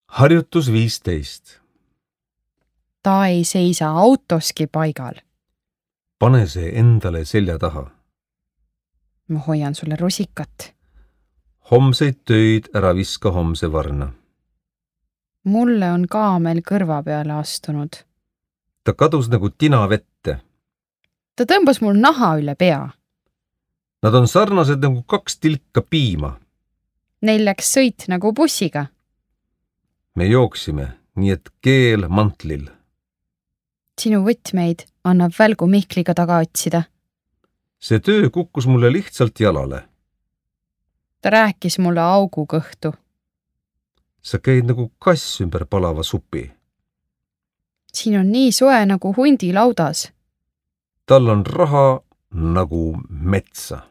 Harjutus 15. Ta ei seisa autoski paigal. Pane see endale selja taha. Ma hoian sulle rusikat. Homseid töid ära viska homse varna. Mulle on kaamel kõrva peale astunud. Ta kadus nagu tina vette. Ta tõmbas mul naha üle pea. Nad on sarnased nagu 2 tilka piima. Neil läks sõit nagu bussiga. Me jooksime, nii et keel mantlil. Sinu võtmeid annab välgu Mihkliga taga otsida. See töö kukkus mulle lihtsalt jalale. Ta rääkis mulle augu kõhtu. Sa käid nagu kass ümber palava supi. Siin on nii soe nagu hundi laudas. Tal on raha nagu metsa.